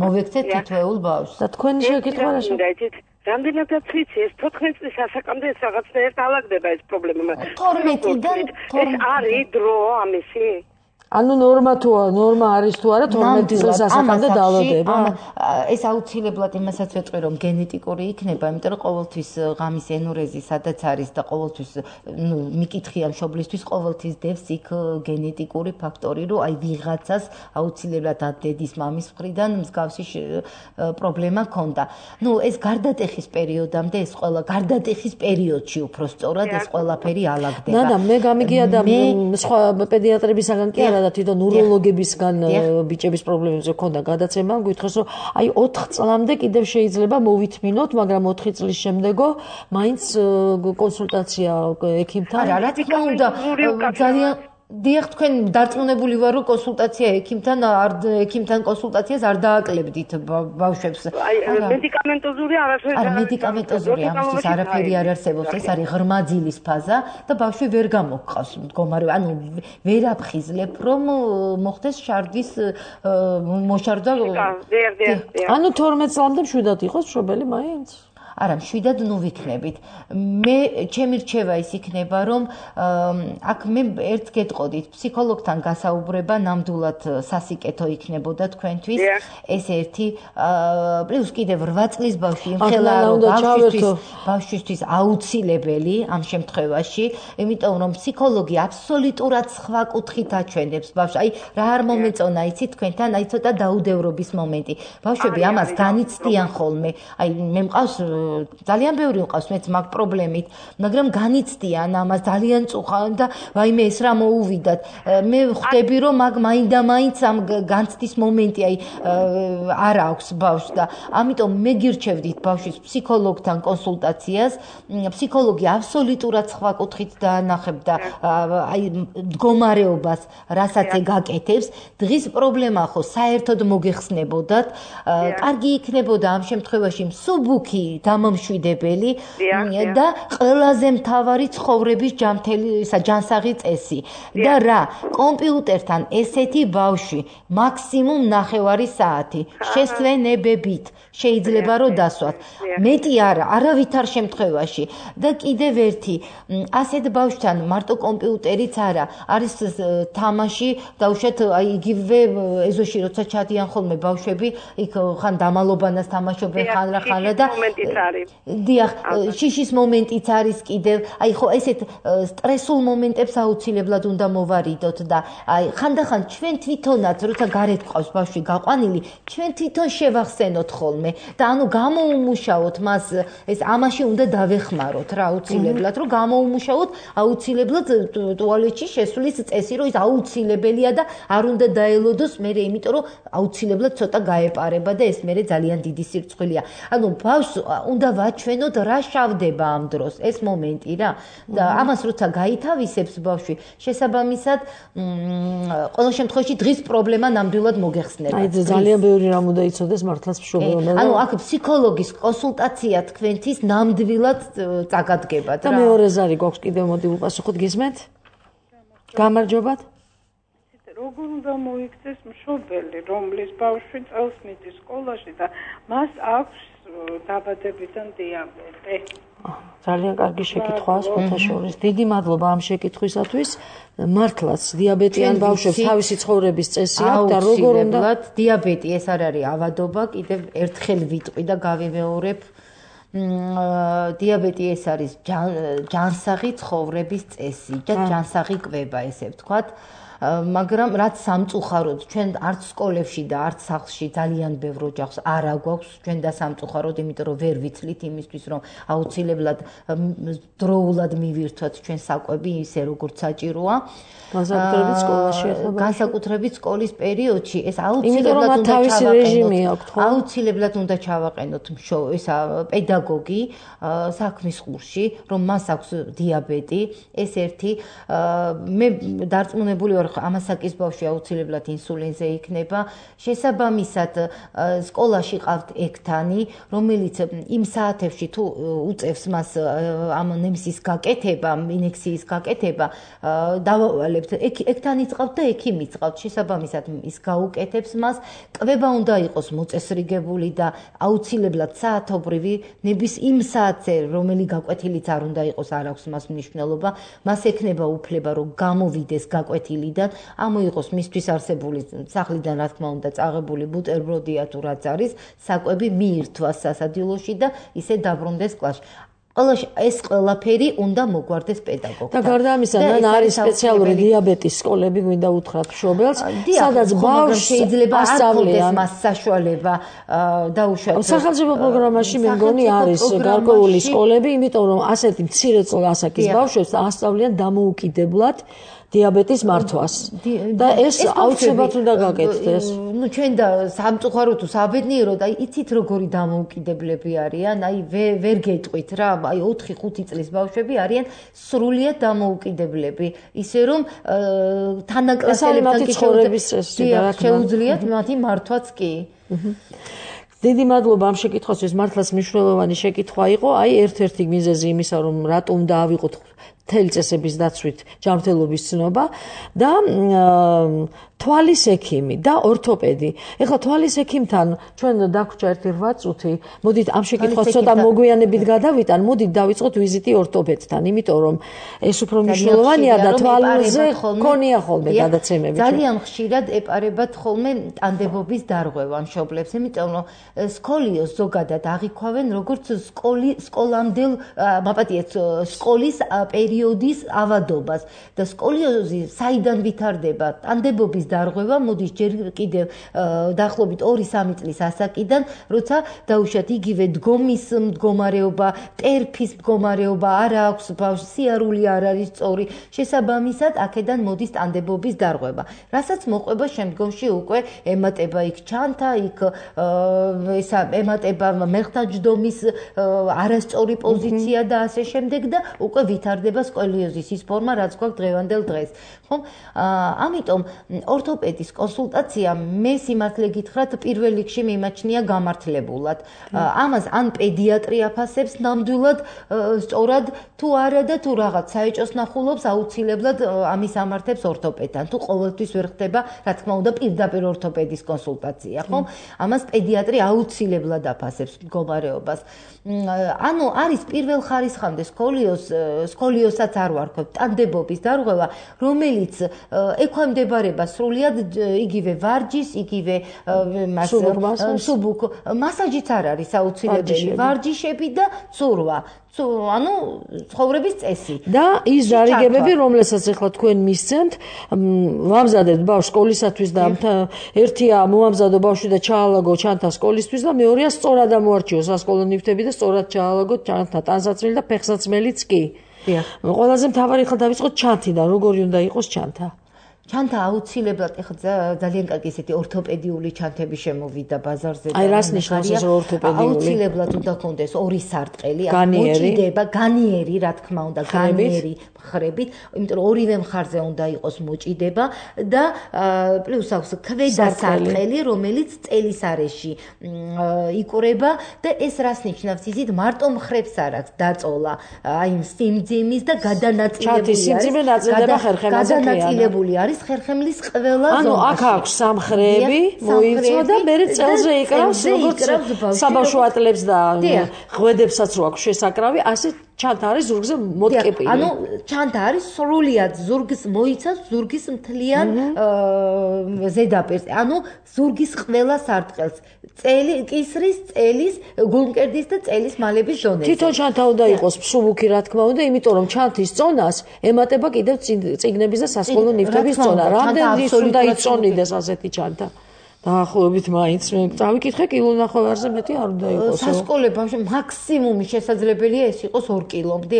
მოვექცეთ თითოეულ ბავშვს. და თქვენი შეკითხვა რა შეგვიძლია? რამდენადაც ვიცი, ეს თოთხმეტ წლის ასაკამდე ეს რაღაცნაირად ალაგდება ეს პრობლემა. თორმეტიდან ეს არის დრო ამისი? ანუ ნორმა თუ ნორმა არის თუ არა თორმეტ წელს ასაკამდე დაავადება? ეს აუცილებლად იმასაც ვეტყვი რომ გენეტიკური იქნება, იმიტომ რომ ყოველთვის ღამის ენურეზი სადაც არის და ყოველთვის ნუ მიკითხია მშობლისთვის ყოველთვის დევს იქ გენეტიკური ფაქტორი, რომ აი ვიღაცას აუცილებლად დედის მამის მხრიდან მსგავსი პრობლემა ქონდა. ნუ ეს გარდატეხის პერიოდამდე ეს ყველა გარდატეხის პერიოდში უფრო სწორად ეს ყველაფერი ალაგდება. ნანა, მე გამიგია და სხვა პედიატრებისაგან კი არა და თვითონ ნევროლოგებისგან ბიჭების პრობლემებზე ქონდა გადაცემა, გითხოს რომ აი ოთხ წლამდე კიდევ შეიძლება მოვითმინოთ, მაგრამ ოთხი წლის შემდეგო მაინც კონსულტაცია ექიმთან. არა, რა თქმა უნდა, ძალიან დიახ, თქვენ დარწმუნებული ვარ, რომ კონსულტაცია ექიმთან არ ექიმთან კონსულტაციას არ დააკლებდით ბავშვებს. აი, მედიკამენტოზური არაფერი. არა, მედიკამენტოზური ამისთვის არაფერი არ არსებობს. ეს არის ღრმა ძილის ფაზა და ბავშვი ვერ გამოგყავს მდგომარეობა. ანუ ვერ აფხიზლებ, რომ მოხდეს შარდის მოშარდა. ანუ თორმეტ წლამდე მშვიდად იყოს მშობელი მაინც? არა, მშვიდად ნუ ვიქნებით. მე ჩემი რჩევა ის იქნება, რომ აქ მე ერთ გეტყოდით, ფსიქოლოგთან გასაუბრება ნამდვილად სასიკეთო იქნებოდა თქვენთვის. ეს ერთი პლუს კიდევ რვა წლის ბავშვი იმხელა რომ ბავშვისთვის აუცილებელი ამ შემთხვევაში, იმიტომ რომ ფსიქოლოგი აბსოლუტურად სხვა კუთხით აჩვენებს ბავშვს. აი რა არ მომეწონა იცი თქვენთან, აი ცოტა დაუდევრობის მომენტი. ბავშვები ამას განიცდიან ხოლმე. აი მე მყავს ძალიან ბევრი მყავს მეც მაგ პრობლემით, მაგრამ განიცდიან ამას ძალიან წუხავენ და ვაიმე ეს რა მოუვიდათ. მე ხვდები რომ მაგ მაინდა-მაინც ამ განცდის მომენტი აი არ აქვს ბავშვს და ამიტომ მე გირჩევდით ბავშვის ფსიქოლოგთან კონსულტაციას. ფსიქოლოგი აბსოლუტურად სხვა კუთხით დაანახებდა აი მდგომარეობას, რასაც ეგაკეთებს. დღის პრობლემა ხო საერთოდ მოგეხსნებოდათ. კარგი იქნებოდა ამ შემთხვევაში მსუბუქი დამამშვიდებელი და ყველაზე მთავარი ცხოვრების ჯანმრთელი ჯანსაღი წესი. და რა, კომპიუტერთან ესეთი ბავშვი მაქსიმუმ ნახევარი საათი შესვენებებით შეიძლება რომ დასვათ. მეტი არა, არავითარ შემთხვევაში. და კიდევ ერთი, ასეთ ბავშვთან მარტო კომპიუტერიც არა, არის თამაში, დაუშვათ აი იგივე ეზოში როცა ჩადიან ხოლმე ბავშვები, იქ ხან დამალობანას თამაშობენ, ხან რა ხან რა და დიახ, შიშის მომენტიც არის კიდევ. აი ხო ესეთ სტრესულ მომენტებს აუცილებლად უნდა მოვარიდოთ და აი ხანდახან ჩვენ თვითონაც როცა გარეთ ყავს ბავშვი გაყვანილი, ჩვენ თვითონ შევახსენოთ ხოლმე და ანუ გამოუმუშაოთ მას, ეს ამაში უნდა დავეხმაროთ რა აუცილებლად, რომ გამოუმუშაოთ აუცილებლად ტუალეტში შესვლის წესი, რომ ის აუცილებელია და არ უნდა დაელოდოს მე, იმიტომ რომ აუცილებლად ცოტა გაეპარება და ეს მე ძალიან დიდი სირცხვილია. ანუ ბავშვს უნდა ვაჩვენოთ რა შავდება ამ დროს, ეს მომენტი რა. და ამას როცა გაითავისებს ბავშვი, შესაბამისად ყოველ შემთხვევაში დღის პრობლემა ნამდვილად მოგეხსნება. აი ძალიან ბევრი რამ უნდა იცოდეს მართლაც მშობელმა. ანუ აქ ფსიქოლოგის კონსულტაცია თქვენთვის ნამდვილად წაგადგება და მეორე ზარი გვაქვს კიდევ მოდი უპასუხოთ გისმენთ? გამარჯობათ. როგორ უნდა მოიქცეს მშობელი, რომლის ბავშვი წელს მიდის სკოლაში და მას აქვს დაბადებიდან დიაბეტი? ძალიან კარგი შეკითხვაა სპორტაშორის. დიდი მადლობა ამ შეკითხვისათვის. მართლაც დიაბეტიან ბავშვებს თავისი ცხოვრების წესი აქვს და როგორ უნდა დიაბეტი ეს არ არის ავადობა, კიდევ ერთხელ ვიტყვი და გავიმეორებ. დიაბეტი ეს არის ჯანსაღი ცხოვრების წესი და ჯანსაღი კვება, ესე ვთქვათ. მაგრამ რაც სამწუხაროდ ჩვენ არც სკოლებში და არც სახლში ძალიან ბევრ ოჯახს არ აგვაქვს ჩვენ და სამწუხაროდ, იმიტომ რომ ვერ ვიცლით იმისთვის, რომ აუცილებლად დროულად მივირთვათ ჩვენ საკვები ისე როგორც საჭიროა. განსაკუთრებით სკოლაში ახლა განსაკუთრებით სკოლის პერიოდში ეს აუცილებლად უნდა ჩავაყენოთ. აუცილებლად უნდა ჩავაყენოთ ესა პედაგოგი საქმის ყურში, რომ მას აქვს დიაბეტი, ეს ერთი. მე დარწმუნებული ვარ, ამასაკის ბავშვი აუცილებლად ინსულინზე იქნება. შესაბამისად, სკოლაში ყავთ ექთანი, რომელიც იმ საათებში თუ უწევს მას ამ ნემსის გაკეთება, ინექციის გაკეთება, დავავალებთ. ექთანიც ყავთ და ექიმიც ყავთ. შესაბამისად, ის გაუკეთებს მას. კვება უნდა იყოს მოწესრიგებული და აუცილებლად საათობრივი, ნების იმ საათზე, რომელი გაკვეთილიც არ უნდა იყოს, არ აქვს მას მნიშვნელობა. მას ექნება უფლება, რომ გამოვიდეს გაკვეთილიდან, ამოიღოს მისთვის არსებული სახლიდან, რა თქმა უნდა, წაღებული ბუტერბროდია თუ რაც არის, საკვები მიირთვას სასადილოში და ისე დაბრუნდეს კლასში. ეს ყველაფერი უნდა მოგვარდეს პედაგოგთან. და გარდა ამისა, მან არის სპეციალური დიაბეტის სკოლები, გვინდა უთხრათ მშობელს, სადაც ბავშვს შეიძლება ასწავლეს მას საშუალება დაუშვათ. სახელმწიფო პროგრამაში მე მგონი არის გარკვეული სკოლები, იმიტომ რომ ასეთი მცირე ასაკის ბავშვებს ასწავლიან დამოუკიდებლად დიაბეტის მართვას. და ეს აუცილებლად უნდა გაკეთდეს. ნუ ჩვენ და სამწუხარო თუ საბედნიერო და იცით როგორი დამოუკიდებლები არიან, აი ვერ გეტყვით რა, აი ოთხი ხუთი წლის ბავშვები არიან სრულიად დამოუკიდებლები, ისე რომ თანაკლასელებთან შეუძლიათ მათი მართვაც კი. დიდი მადლობა ამ შეკითხვისთვის, მართლაც მნიშვნელოვანი შეკითხვა იყო. აი ერთ-ერთი მიზეზი იმისა, რომ რატომ დაავიღოთ მთელი წესების დაცვით ჯანმრთელობის ცნობა და თვალის ექიმი და ორთოპედი. ეხლა თვალის ექიმთან ჩვენ დაგვჭა ერთი რვა წუთი. მოდით ამ შეკითხვას ცოტა მოგვიანებით გადავიტან, მოდით დავიწყოთ ვიზიტი ორთოპედთან, იმიტომ რომ ეს უფრო მნიშვნელოვანია და თვალზე ქონია ხოლმე გადაცემები. ძალიან ხშირად ეპარებათ ხოლმე ტანდებობის დარღვევა მშობლებს, იმიტომ რომ სკოლიოს ზოგადად აღიქვავენ როგორც სკოლი სკოლამდელ მაპატიეთ სკოლის პერიოდის ავადობას და სკოლიოზი საიდან ვითარდება ტანდებობის დარღვევა მოდის ჯერ კიდევ დაახლოებით ორი სამი წლის ასაკიდან, როცა დაუშვათ იგივე დგომის მდგომარეობა, ტერფის მდგომარეობა არ აქვს ბავშვს, სიარული არ არის სწორი, შესაბამისად აქედან მოდის ტანდებობის დარღვევა. რასაც მოყვება შემდგომში უკვე ემატება იქ ჩანთა, იქ ესა ემატება მეხტაჯდომის არასწორი პოზიცია და ასე შემდეგ და უკვე ვითარდება სკოლიოზის ის ფორმა, რაც გვაქვს დღევანდელ დღეს. ხომ? ამიტომ ორთოპედის კონსულტაცია მე სიმართლე გითხრათ პირველ რიგში მიმაჩნია გამართლებულად. ამას ან პედიატრი აფასებს ნამდვილად სწორად თუ არა და თუ რაღაც საეჭოს ნახულობს აუცილებლად ამის ამართებს ორთოპედთან. თუ ყოველთვის ვერ ხდება, რა თქმა უნდა, პირდაპირ ორთოპედის კონსულტაცია, ხომ? ამას პედიატრი აუცილებლად აფასებს მდგომარეობას. ანუ არის პირველ ხარისხამდე სკოლიოს სკოლიოსაც არ ვარქვევ, ტანდებობის დარღვევა, რომელიც ექვემდებარება სრულიად იგივე ვარჯის, იგივე მას სუბუქ მასაჟიც არ არის აუცილებელი, ვარჯიშები და ცურვა. ანუ ცხოვრების წესი და ის დარიგებები, რომლებსაც ახლა თქვენ მისცემთ, ვამზადებთ ბავშვს სკოლისათვის და ერთია მოამზადო ბავშვი და ჩაალაგო ჩანთა სკოლისთვის და მეორეა სწორად ამოარჩიო სასკოლო ნივთები და სწორად ჩაალაგო ჩანთა ტანსაცმელი და ფეხსაცმელიც კი. ყველაზე მთავარი ხალ დავიწყოთ ჩანთიდან, როგორი უნდა იყოს ჩანთა? ჩანთა აუცილებლად ეხლა ძალიან კარგი ესეთი ორთოპედიული ჩანთები შემოვიდა ბაზარზე. აი რას ნიშნავს ეს ორთოპედიული? აუცილებლად უნდა გქონდეს ორი სარტყელი, მოჭიდება, განიერი, რა თქმა უნდა, განიერი მხრებით, იმიტომ რომ ორივე მხარზე უნდა იყოს მოჭიდება და პლუს აქვს ქვედა სარტყელი, რომელიც წელის არეში იკვრება და ეს რას ნიშნავს? იზით მარტო მხრებს არ აქვს დაწოლა, აი სიმძიმის და გადანაწილებული არის. სიმძიმე ნაწილდება ხერხემაზე. გადანაწილებული არის ხერხემლის ყველა ზონა. ანუ აქ აქვს სამხრები, მოიწვა და მე წელზე იკრავს, როგორც საბავშვო ატლებს და ღვედებსაც რო აქვს შესაკრავი, ასე ჩანთა არის ზურგზე მოტკეპილი. ანუ ჩანთა არის სრულიად ზურგს მოიცავს ზურგის მთლიან ზედაპირს. ანუ ზურგის ყველა სარტყელს. წელი კისრის, წელის, გულმკერდის და წელის მალების ზონაზე. თვითონ ჩანთა უნდა იყოს მსუბუქი, რა თქმა უნდა, იმიტომ რომ ჩანთის წონას ემატება კიდევ წიგნების და სასკოლო ნივთების წონა. რამდენი ის უნდა იწონიდეს ასეთი ჩანთა? დაახლოებით მაინც მე წავიკითხე კილონახევარზე მეტი არ უნდა იყოს. სასკოლო ბავშვი მაქსიმუმი შესაძლებელია ეს იყოს ორი კილომდე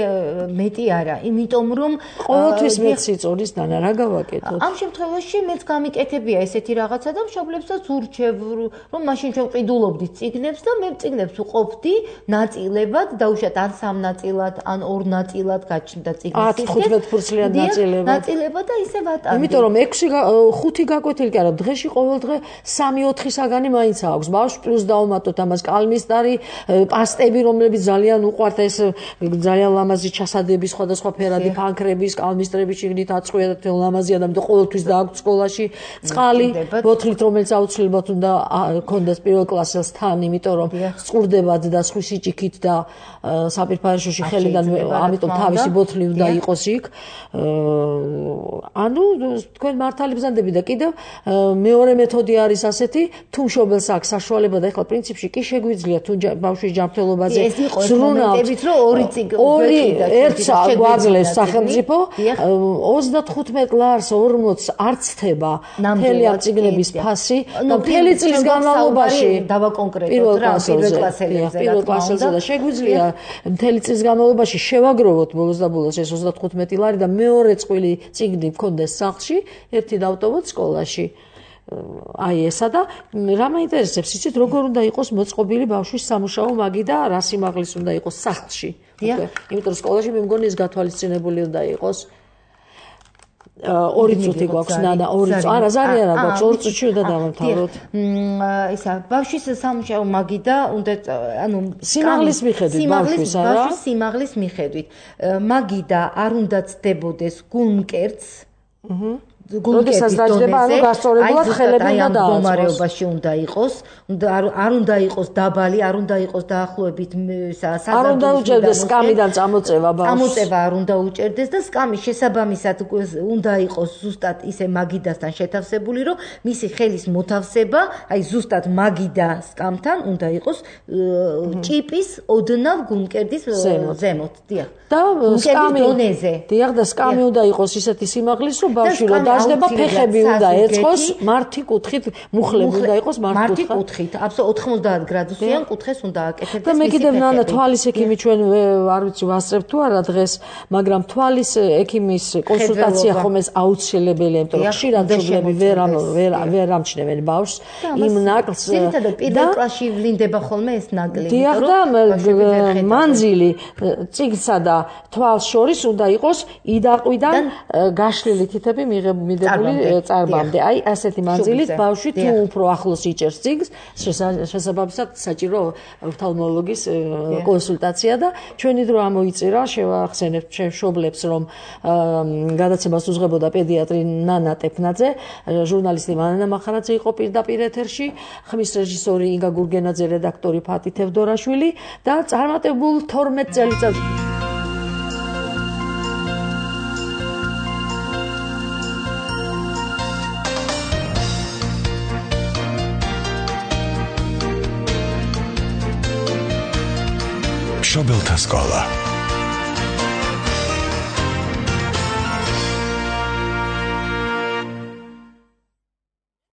მეტი არა, იმიტომ რომ ყოველთვის მეცი წონის დანა რა გავაკეთოთ? ამ შემთხვევაში მეც გამიკეთებია ესეთი რაღაცა და მშობლებსაც ურჩევ, რომ მაშინ ჩვენ ყიდულობდით წიგნებს და მე წიგნებს უყოფდი ნაწილებად, დაუშვათ ან სამ ნაწილად, ან ორ ნაწილად გაჩნდა წიგნის ათი თხუთმეტ ფურცლიან ნაწილებად. ნაწილებად და ისე ვატანდი. იმიტომ რომ ექვსი ხუთი გაკვეთილი კი არა, დღეში ყოველდღე სამი ოთხი საგანი მაინც აქვს. ბავშვს პლუს დავუმატოთ ამას კალმისტარი, პასტები, რომლებიც ძალიან უყვართ ეს ძალიან ლამაზი ჩასადები, სხვადასხვა ფერადი ფანქრების, კალმისტრების შიგნით აწყვია და თელ ლამაზია და მე ყოველთვის დააქვს სკოლაში წყალი, ბოთლით, რომელიც აუცილებლად უნდა გქონდეს პირველ კლასელს თან, იმიტომ რომ წყურდებათ და სხვისი ჭიქით და საპირფარეშოში ხელიდან, ამიტომ თავისი ბოთლი უნდა იყოს იქ. ანუ თქვენ მართალი ბრძანდები და კიდევ მეორე მეთოდი არის ასეთი, თუ მშობელს აქვს საშუალება და ახლა პრინციპში კი შეგვიძლია თუ ბავშვის ჯანმრთელობაზე ზრუნავთ, რომ ორი წიგნი ორი ერთს გვაძლევს სახელმწიფო ოცდათხუთმეტ ლარს ორმოცს არც ხდება მთელი ამ წიგნების ფასი და მთელი წლის განმავლობაში დავაკონკრეტოთ რა პირველ კლასელებზე პირველ კლასელზე და შეგვიძლია მთელი წლის განმავლობაში შევაგროვოთ ბოლოს და ბოლოს ეს ოცდათხუთმეტი ლარი და მეორე წყვილი წიგნი მქონდეს სახლში, ერთი დავტოვოთ სკოლაში. აი ესა და რა მაინტერესებს, იცით, როგორ უნდა იყოს მოწყობილი ბავშვის სამუშაო მაგი და რა სიმაღლის უნდა იყოს სახლში. იმიტომ რომ სკოლაში მე მგონი ეს გათვალისწინებული უნდა იყოს. ორი წუთი გვაქვს, ნანა, ორი წუთი. არა, ზარი არა გვაქვს, ორი წუთში უნდა დავამთავროთ. ისა, ბავშვის სამუშაო მაგი და უნდა, ანუ სიმაღლის მიხედვით ბავშვის, არა? ბავშვის სიმაღლის მიხედვით. მაგი და არ უნდა ცდებოდეს გულმკერდს. როდესაც დაждდება, ანუ გასწორებულად ხელები უნდა დააწყოს. მდგომარეობაში უნდა იყოს, არ უნდა იყოს დაბალი, არ უნდა იყოს დაახლოებით საზარდულის. არ უნდა უჭერდეს სკამიდან წამოწევა ბავშვს. წამოწევა არ უნდა უჭერდეს და სკამის შესაბამისად უნდა იყოს ზუსტად ისე მაგიდასთან შეთავსებული, რომ მისი ხელის მოთავსება, აი ზუსტად მაგიდა სკამთან უნდა იყოს ჭიპის ოდნავ გულმკერდის ზემოთ, დიახ. და სკამი დონეზე. დიახ, და სკამი უნდა იყოს ისეთი სიმაღლის, რომ ბავშვი რო დაждდება, ფეხები უნდა ეწყოს მართი კუთხით, მუხლები უნდა იყოს მართი კუთხით. აბსოლუტურად ოთხმოცდაათ გრადუსიან კუთხეს უნდა აკეთებდეს. და მე კიდევ ნანა თვალის ექიმი ჩვენ არ ვიცი ვასწრებ თუ არა დღეს, მაგრამ თვალის ექიმის კონსულტაცია ხომ ეს აუცილებელია, იმიტომ რომ ხშირად მშობლები ვერ ვერ ვერ ამჩნევენ ბავშვს იმ ნაკლს. ძირითადად პირველ კლასში ვლინდება ხოლმე ეს ნაკლი. დიახ, და მანძილი წიგნსა და თვალს შორის უნდა იყოს იდაყვიდან გაშლილი თითები მიღებული წარბამდე. აი ასეთი მანძილით ბავშვი თუ უფრო ახლოს იჭერს წიგნს, შესაბამისად საჭირო ოფთალმოლოგის კონსულტაცია და ჩვენი დრო ამოიწირა, შევახსენებთ მშობლებს, რომ გადაცემას უძღვებოდა პედიატრი ნანა ტეფნაძე, ჟურნალისტი მანანა მახარაძე იყო პირდაპირ ეთერში, ხმის რეჟისორი ინგა გურგენაძე, რედაქტორი ფათი თევდორაშვილი და წარმატებულ თორმეტ წელიწადს მშობელთა სკოლა